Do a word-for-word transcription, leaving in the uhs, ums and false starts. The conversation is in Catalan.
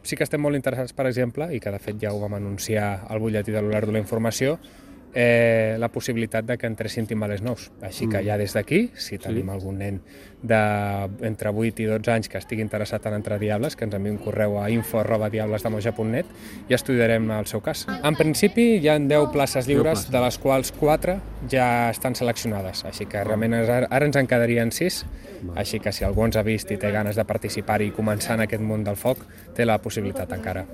Sí que estem molt interessats, per exemple, i que de fet ja ho vam anunciar al butlletí de l'Olard de la Informació, eh, la possibilitat de que entressin timbalers nous. Així que ja des d'aquí, si tenim algun nen d'entre vuit i dotze anys que estigui interessat en entrar a Diables, que ens enviï un correu a info arroba diablesdemoja punt net i estudiarem el seu cas. En principi hi ha deu places lliures, de les quals quatre ja estan seleccionades, així que realment ara, ara ens en quedarien sis, així que si algú ens ha vist i té ganes de participar i començar en aquest món del foc, té la possibilitat encara.